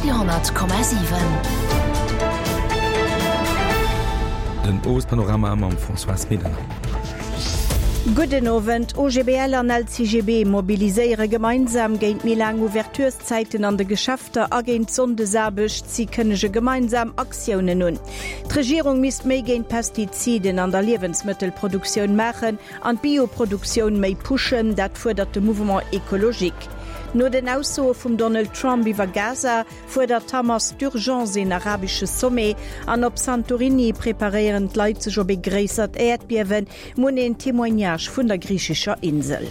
Radio 10,7. Den Owespanorama mam Françoise Medernach. Gudden Owend. OGBL an LCGB mobiliséiere gemeinsam géint méi laang Ouvertureszäiten an de Geschäfter a géint d'Sonndesaarbecht. Si kënnege gemeinsam Aktiounen un. D'Regierung misst méi géint Pestiziden an der Liewensmëttelproduktioun maachen an d'Bioproduktioun méi pushen, dat fuerdert de Mouvement Ecologique. No den Aussoe vum Donald Trump iwwer Gaza fuerdert d'Hamas d'urgence een arabesche Sommet an op Santorini preparéieren d'Leit sech op ee gréissert Äerdbiewen. Mun een Témoignage vun der griichescher Insel.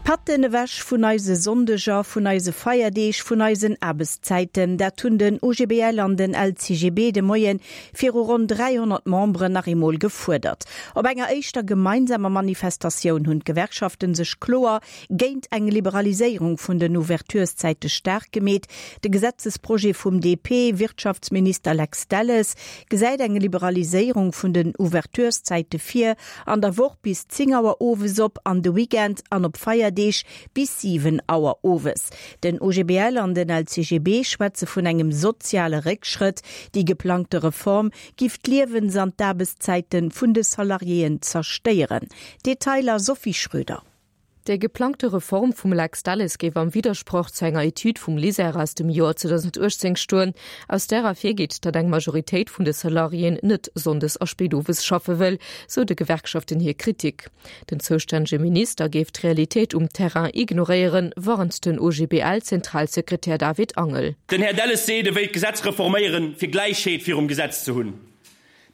D'Patten ewech vun eise Sonndeger, vun eise Feierdeeg, vun eisen Aarbechtszäiten, dat hunn den OGBL an den LCGB de Moien viru ronn 300 Memberen nach eemol gefuerdert. Op enger éischter gemeinsamer Manifestatioun hunn d'Gewerkschaften sech kloer géint eng Liberaliséierung vun den Ouvertureszäite staark gemeet. De Gesetzesprojet vum DP-Wirtschaftsminister Lex Delles gesäit eng Liberaliséierung vun den Ouvertureszäite vir, an der Woch bis 10 Auer owes op, an de Weekend an op Feierdeeg bis 7 Auer owes. Den OGBL an den LCGB schwätze vun engem soziale Réckschrëtt. Déi geplangte Reform giff d'Liewens an d'Aarbechtszäite vun de Salariéen zerstéieren. Detailer Sophie Schröder. Déi geplangte Reform vum Lex Delles géif am Widdersproch zu enger Etüd vum LISER aus dem Joer 2018 stoen, aus där ervirgeet, datt eng Majoritéit vun de Salariéen net sonndes a spéit owes schaffe wëll, sou de Gewerkschaften hir Kritik. Den zoustännege Minister géif d'Realitéit um Terrain ignoréieren, warnt den OGBL-Zentralsekretär David Angel. Den Här Delles seet, e wéilt d'Gesetz reforméieren, fir Gläichheet virum Gesetz ze hunn.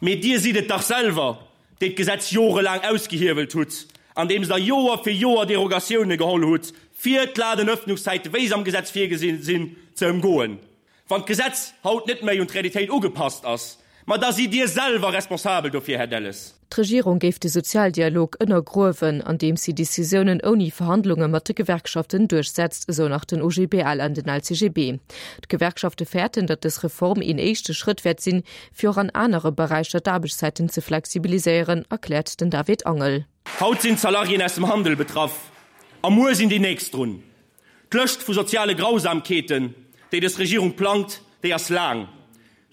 Mee Dir sidd et dach selwer, déi d'Gesetz jorelaang ausgehiewelt hutt, andeems Der Joer fir Joer Derogatioune geholl hutt, fir d'Ladenëffnungszäite, wéi se am Gesetz virgesi sinn, ze ëmgoen. Wann d'Gesetz haut net méi un d'Realitéit ugepasst ass, ma da sidd Dir selwer responsabel dofir, Här Delles. D'Regierung géif de Sozialdialog ënnergruewen, andeems si Decisiounen ouni Verhandlunge mat de Gewerkschaften duerchsetzt, esou nach den OGBL an den LCGB. D'Gewerkschafte fäerten, datt dës Reform een éischte Schrëtt wäert sinn, fir och an anere Beräicher d'Aarbechtszäiten ze flexibiliséieren, erkläert den David Angel. Haut sinn d'Salariéen aus dem Handel betraff a muer sinn déi nächst drun. D'Lëscht vu soziale Grausamkeeten, déi dës Regierung plangt, déi ass laang.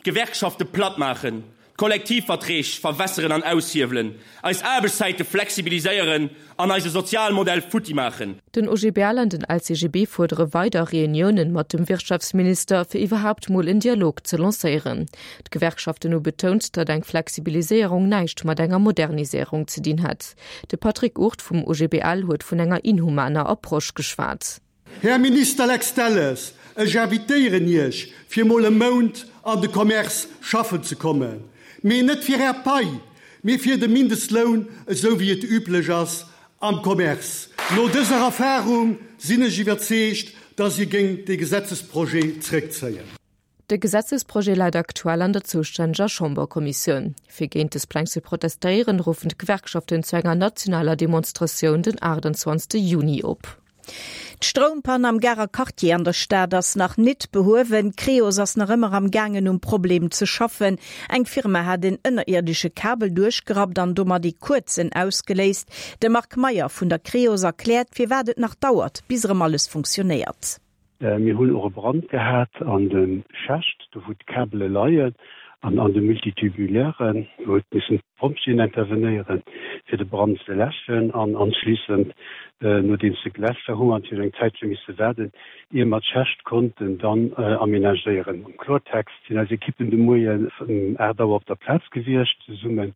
D'Gewerkschafte platt maachen, d'Kollektivverträg verwässeren an aushiewelen, eis Aarbechtszäite flexibiliséieren an eise Sozialmodell futti maachen. Den OGBL an den LCGB fuerdere weider Reuniounen mat dem Wirtschaftsminister, fir iwwerhaapt mol en Dialog ze lancéieren. D'Gewerkschaften hu betount, datt eng Flexibiliséierung näischt mat enger Moderniséierung ze dinn hätt. De Patrick Hurt vum OGBL huet vun enger inhumaner Approche geschwat. Här Minister Lex Delles, ech invitéieren Iech, fir mol e Mount an de Commerce schaffen ze kommen. Mee net fir Är Pai, mee fir de Mindestloun, esou wéi et üblech ass am Commerce. No dëser Erfahrung sinn ech iwwerzeegt, dass Dir géingt dee Gesetzesprojet zréckzéien. De Gesetzesprojet läit aktuell an der zoustänneger Chamberkommissioun. Fir géint dës Pläng ze protestéieren, ruffen d'Gewerkschaften zu enger nationaler Demonstratioun den 28 Juni op. D'Stroumpann am Garer Quartier an der Stad ass nach nit behuewen. D'Creos ass nach ëmmer am gaangen um Problem ze schaffen. Eng Firma hat en ënnerierdesche Kabel duerchgerappt an domat ee kuerzen ausgeléist. De Marc Meyer vun der Creos erkläert, firwat et nach dauert, bis erëm alles funktionéiert. Mir hunn och e Brand gehat an de Schächt, do wou d'Kabele leien, an an de Multitubulairen. Do huet missen d'Pompjeeën intervenéieren, fir de Brand ze läschen. An anschliissend, nodeems se geläscht war, hu mer natierlech eng Zäitche misse waarden, ier mer d'Schächt konnten dann amenagéieren. Am Klortext sinn eis Ekippen de Moien um 8 Auer op der Plaz gewiescht, zesumme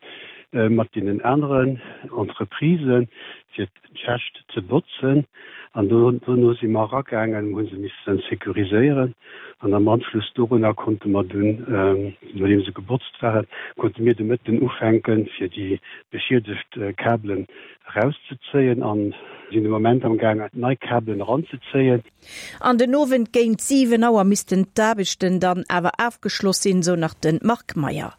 mat deenen aneren Entreprisen, fir d'Schächt ze botzen an dono si mer eragaangen, hu se missen sécuriséieren an am Anschluss dorunner konnte mer dunn, nodeem se gebotzt waren, konnte mir de Mëtten ufänken, fir déi beschiedegt Kabelen erauszezéien an sinn de Moment am gaangen, nei Kabelen eranzezéien. An den Owend géint 7 Auer missten d'Aarbechten dann awer afgeschloss sinn, sou nach de Marc Meyer.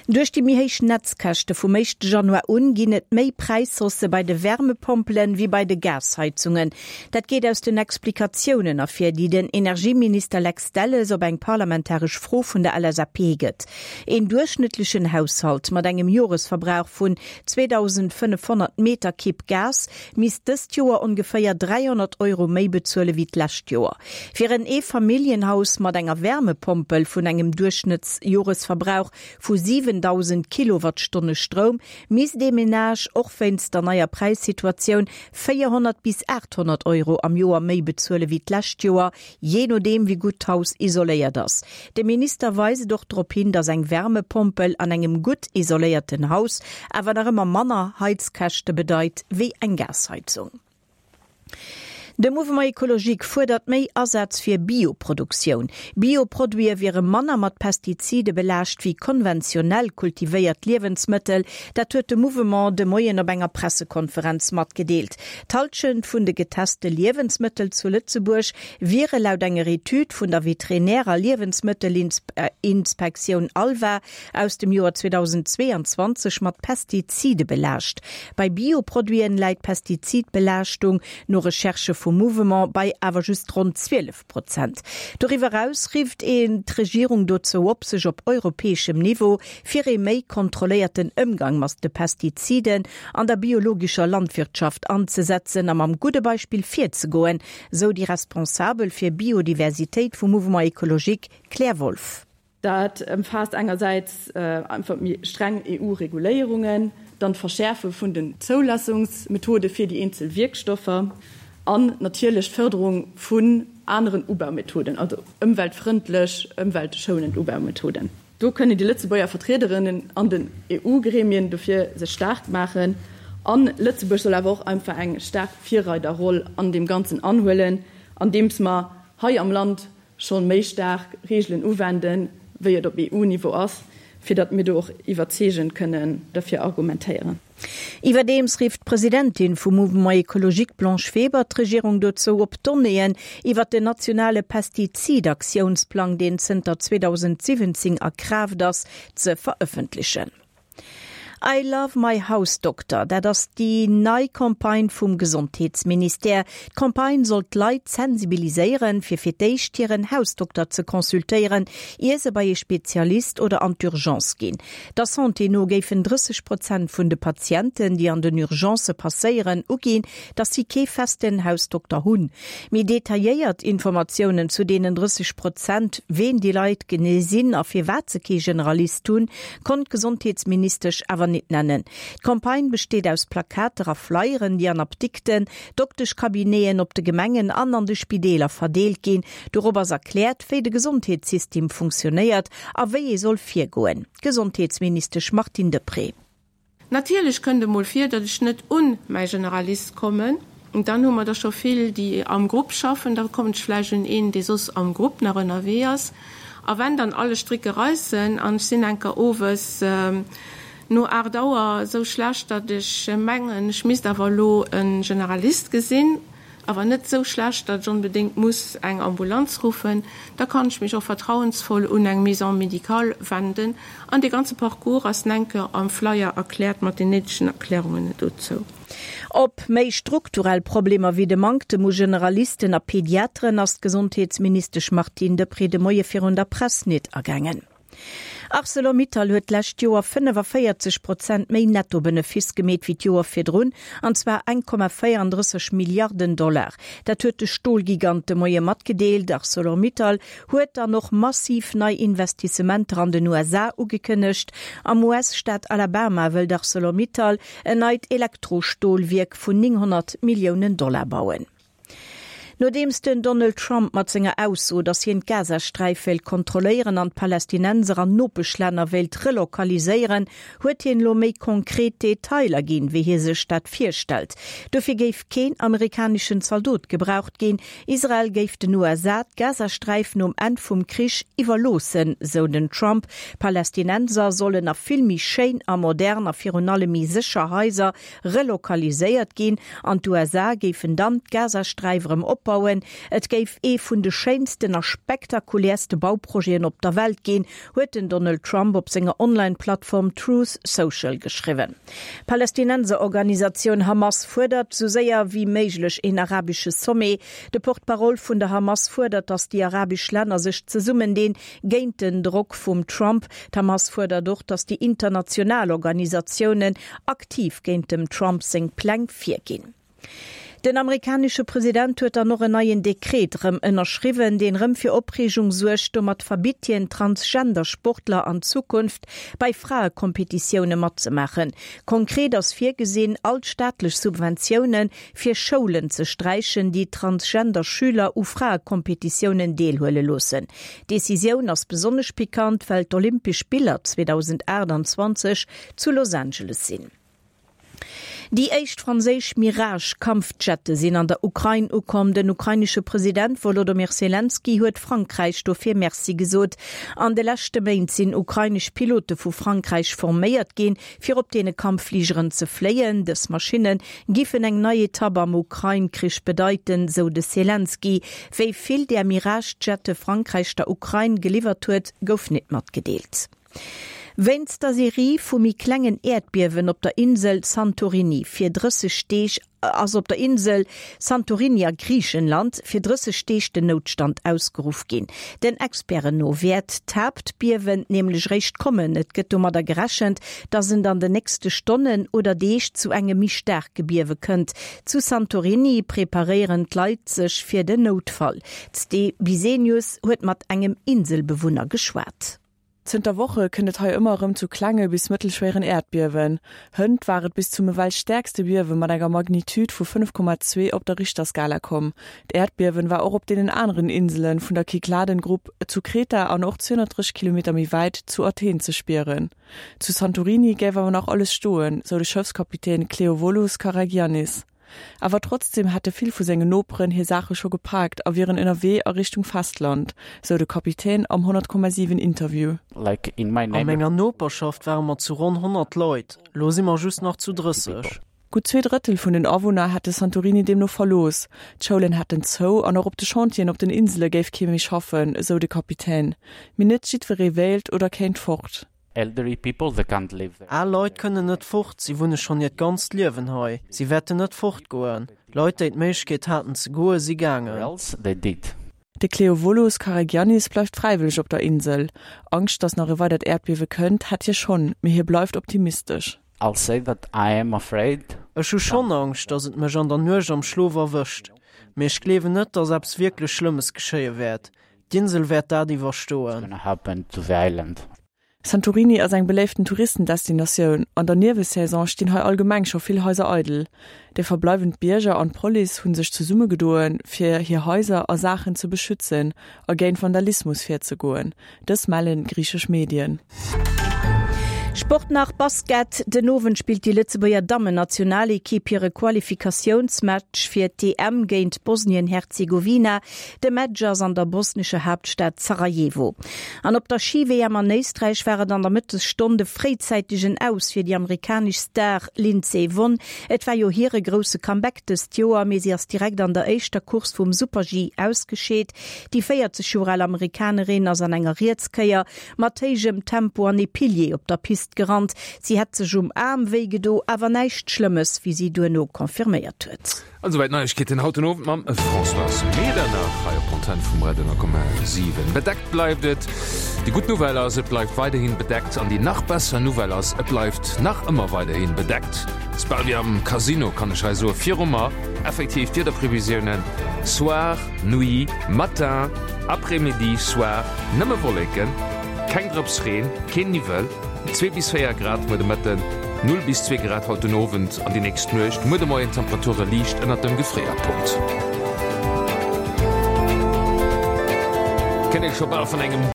Duerch déi méi héich Netzkäschte vum éischte Januar un ginn et méi Präishaussë bei de Wärmepompelen wéi bei de Gasheizungen. Dat geet aus den Explikatiounen ervir, déi den Energieminister Lex Delles op eng parlamentaresch Fro vun der LSAP gëtt. Een duerchschnëttlechen Haushalt mat engem Joresverbrauch vun 2.500 Meterkibb Gas misst dëst Joer ongeféier 300 Euro méi bezuele wéi d'lescht Joer. Fir en Eefamilljenhaus mat enger Wärmepompel vun engem Duerchschnëttsjoresverbrauch vu 7.000 Kilowattstonne Stroum misst ee Menage och wéinst der neier Präissituatioun 400 bis 800 Euro am Joer méi bezuele wéi d'lescht Joer, jee nodeem wéi gutt d'Haus isoléiert ass. De Minister weist och drop hin, datt eng Wärmepompel an engem gutt isoléierten Haus awer nach ëmmer manner Heizkäschte bedeit wéi eng Gasheizung. De Mouvement Ecologique fuerdert méi Asaz fir Bioproduktioun. Bioproduite wiere manner mat Pestizide belaascht wéi konventionell kultivéiert Liewensmëttel. Dat huet de Mouvement de Moien op enger Pressekonferenz matgedeelt. D'Hallschent vun de geteste Liewensmëttel zu Lëtzebuerg wiere laut enger Etüd vun der Veterinär a Liewensmëttelinspektioun ALVA aus dem Joer 2022 mat Pestizide belaascht. Bei Bioproduiten läit d'Pestizidbelaaschtung, no Recherchë vum Mouvement, bei awer just ronn 12 Prozent. Doriwwer eraus rifft een d'Regierung dozou op, sech op europäeschem Niveau fir ee méi kontrolléierten Ëmgang mat de Pestiziden an der biologescher Landwirtschaft anzesetzen a mam gudde Beispill virzegoen, sou déi Responsabel fir Biodiversitéit vum Mouvement Ecologique, Claire Wolff. Dat ëmfaasst engersäits einfach méi streng EU-Reguléierungen, dann d'Verschäerfe vun den Zoulassungsmethode fir déi eenzel Wierkstoffer an natierlech d'Fërderung vun aneren Ubaumethoden, also ëmweltfrëndlech, ëmweltschounend Ubaumethoden. Do kënnen déi Lëtzebuerger Vertriederinnen an den EU-Gremien dofir sech staark maachen. A Lëtzebuerg soll awer och einfach eng staark Virreiderroll an deem Ganzen anhuelen, andeems mer hei am Land scho méi staark Reegelen uwenden, wéi et op EU-Niveau ass, fir datt mir do och iwwerzeegend kënnen derfir argumentéieren. Iwwerdeems rifft d'Presidentin vum Mouvement Ecologique Blanche Weber d'Regierung dozou op, d'Donnéeën iwwert den nationale Pestizidaktiounsplang, deen zënter 2017 a Kraaft ass, ze verëffentlechen. I love my house doctor, dat ass déi nei Campagne vum Gesondheetsministère. D'Campagne soll d'Leit sensibiliséieren, fir fir d'éischt hiren Hausdokter ze consultéieren, ier se bei ee Spezialist oder an d'Urgence ginn. Der Santé no géifen 30 Prozent vun de Patienten, déi an den Urgencë passéieren, uginn, datt si kee festen Hausdokter hunn. Méi detailléiert Informatiounen zu deenen 30 Prozent, ween déi Leit genee sinn a firwat se kee Generalist hunn, konnt d'Gesondheetsministesch awer nit nennen. D'Campagne besteet aus Plakater a Flyeren, déi an Apdikten, Dokteschcabineten, op de Gemengen an an de Spideeler verdeelt ginn. Dorop ass erkläert, wéi de Gesondheetssystem funktionéiert a wéi ee soll virgoen. Gesondheetsministesch Martine Deprez. Natierlech kënnt emol vir, datt ech net un mäi Generalist kommen. Dann hu mer der scho vill, déi am Grupp schaffen. Da kommen ech vläicht un een, dee soss am Grupp nach ënnerwee ass. A wenn dann alle Stricke reissen an ech sinn enker owes no 8 Auer esou schlecht, datt ech mengen, ech misst awer elo e Generalist gesinn, awer net esou schlecht, datt ech onbedéngt muss eng Ambulanz ruffen, da kann ech mech och vertrauensvoll un eng Maison médicale wenden. An dee ganze Parcours ass nenke am Flyer erkläert mat den néidegen Erklärungen dozou. Op méi strukturell Problemer wéi de Manktem u Generalisten a Pediateren ass d'Gesondheetsministesch Martine Deprez de Moie virun der Press nit agaangen. Arcelor-Mittal huet d'lescht Joer 45 Prozent méi Nettobenefiss gemeet wéi d'Joer virdrun, an zwar 1,34 Milliarden Dollar. Dat huet de Stolgigant de Moie matgedeelt. Arcelor-Mittal huet dann och massiv nei Investissementer an den USA ugekënnegt. Am US-Staat Alabama wëllt Arcelor-Mittal en neit Elektrostolwierk vun 900 Milliounen Dollar bauen. Nodeems den Donald Trump mat senger Ausso, datt hien d'Gazasträif wéilt kontrolléieren an d'Palästinenser an Nopeschlänner wéilt relokaliséieren, huet hien elo méi konkret Detailer ginn, wéi hie sech dat virstellt. Dofir géif keen amerikaneschen Zaldot gebraucht ginn. Israel géif den USA d'Gazasträif nom Enn vum Krich iwwerloossen, sou den Trump. Palästinenser sollen a vill méi schéin a modern a virun allem méi sécher Haiser relokaliséiert ginn an d'USA géifen dann d'Gazasträif erëm opbauen. opbauen. Et géif ee vun de schéinsten a spektakuläerste Bauprojeten op der Welt ginn, huet den Donald Trump op senger Online-Plattform Truth Social geschriwwen. D'Palästinenserorganisatioun Hamas fuerdert sou séier wéi méiglech een arabesche Sommet. De Porte-parole vun der Hamas fuerdert, datt déi arabesch Länner sech zesummendinn géint den Drock vum Trump. D'Hamas fuerdert och, datt déi international Organisatiounen aktiv géint dem Trump seng Pläng virginn. Den amerikanesche President huet dann och en neien Dekret rëm ënnerschriwwen, deen rëm fir Opreegung suergt. Domat verbitt hien Transgender-Sportler an Zukunft bei Fraekompetitioune matzemaachen. Konkret ass virgesinn, all d'staatlech Subventioune fir Schoulen ze sträichen, déi Transgender-Schüler u Fraekompetitiounen deelhuele loossen. D'Decisioun ass besonnesch pikant, well d'Olympesch Spiller 2028 zu Los Angeles sinn. Déi éischt franséisch Mirage-Kampfjette sinn an der Ukrain ukomm. Den ukrainesche President Wolodomyr Selenskyj huet Frankräich dofir Merci gesot. An de leschte Méint sinn ukrainesch Pilote vu Frankräich forméiert ginn, fir op deene Kampffligeren ze fléien. Dës Maschinne giffen eng nei Etapp am Ukrain-Krich bedeiten, sou de Selenskyj. Wéi vill där Mirage-Jette Frankräich der Ukrain geliwwert huet, gouf net matgedeelt. Wéinst der Serie vu méi klengen Äerdbiewen op der Insel Santorini fir 30 Deeg ass op der Insel Santorini a Griichenland fir 30 Deeg den Noutstand ausgeruff ginn. Den Experten no wäert d'Haaptbiewen nämlech réischt kommen. Et gëtt domadder gerechent, datt et an den nächste Stonnen oder Deeg zu engem méi staarke Biewe kënnt. Zu Santorini preparéieren d'Leit sech fir den Noutfall. D'Ste Bisenius huet mat engem Inselbewunner geschwat. Zënter Woche kënnt et hei ëmmer erëm zu klenge bis mëttelschwéieren Äerdbiewen. Hënt war et bis zum ewell stäerkste Biewe mat enger Magnitude vu 5,2 op der Richterskala komm. D'Äerdbiewen war och op deenen aneren Insele vun der Kykladengrupp, zu Kreta an och 230 Kilometer méi wäit zu Athen ze spieren. Zu Santorini géif awer nach alles stoen, sou de Schëffskapitän Kleovolos Karagiannis. Awer trotzdeem hätte vill vu sengen Noperen hir Saache scho gepaakt a wieren ënnerwee a Richtung Festland, sou de Kapitän am 100,7 Interview. A menger Noperschaft ware mer zu ronn 100 Leit, lo si mer just nach zu 30. Gutt 2 Drëttel vun den Awunner hätte Santorini deemno verlooss. D'Schoulen hätten zou an och op de Chantieren op den Insele géif kee méi schaffen, esou de Kapitän. Mee net jiddweree wéilt oder kéint fort. Elderly people they can't leave their. Al Leit kënnen net fort, si wunne schonn hiert ganzt Liewen hei, si wäerten net fortgoen. Leit, déi d'Méiglechkeet haten ze goen, si gaangen. Else they did. De Kleovolos Karagiannis bleift fräiwëlleg op der Insel. Angscht, datt nach e weidert Äerdbiewe kënnt, hätt hie schonn, mee hie bleift optimistesch. I'll say that I am afraid. Ech hu schonn Angscht, datt et mech an der Nuecht am Schlof erwëscht, mee ech gleewen net, datt eppes wierklech Schlëmmes geschéie wäert. D'Insel wäert dat iwwerstoen. Santorini ass eng beléiften Touristendestinatioun. An der Niewelsaison stinn hei allgemeng scho vill Haiser eidel. Déi verbleiwend Bierger an d'Police hu sech zesummegedoen, fir hir Haiser a Saachen ze beschützen a géint Vandalismus virzegoen. Dës mellen griichesch Medien. Sport nach, Basket, Den Owend spillt déi Lëtzebuerger Dammennationalekipp hire Qualifikatiounsmatch fir d'EM géint Bosnien-Herzegowina. De Match ass an der bosnescher Haaptstad Sarajevo. An op der Schi-WM an Éisträich war et an der Mëttesstonn de fréizäitegen Aus fir déi amerikanesch Star Lindsey Vonn. Et war jo hire grousse Comeback dëst Joer, mee si ass direkt an der éischter Course vum Super-G ausgescheet. Déi 40 Joer al Amerikanerin ass an enger Rietskéier mat héijem Tempo an ee Pilier op der Pist gerannt. Si hätt sech um Aarm wéi gedo, awer näischt Schlëmmes, wéi si duerno confirméiert huet. An esouwäit d'Neiegkeeten haut den Owend mam Françoise Medernach hei op d'Antenn vum Radio 10,7. Bedeckt bleift et. Déi gutt Nouvelle ass, et bleift weiderhin bedeckt. An déi nach besser Nouvelle ass, et bleift nach ëmmer weiderhin bedeckt. Ass bal wéi am Casino, kann ech hei soen. Viru mer effektiv d'Wiederprevisiounen, Soir, Nuit, Matin, Après-midi, Soir, nëmme Wolleken, keng Drëps Reen, keen Niwwel. 2 bis 4 Grad muer de Mëtten, 0 bis 2 Grad haut den Owend an déi nächst Nuecht. Muer de Moien Temperature liicht ënnert dem Gefréierpunkt. Kënnt ee scho bal vun engem.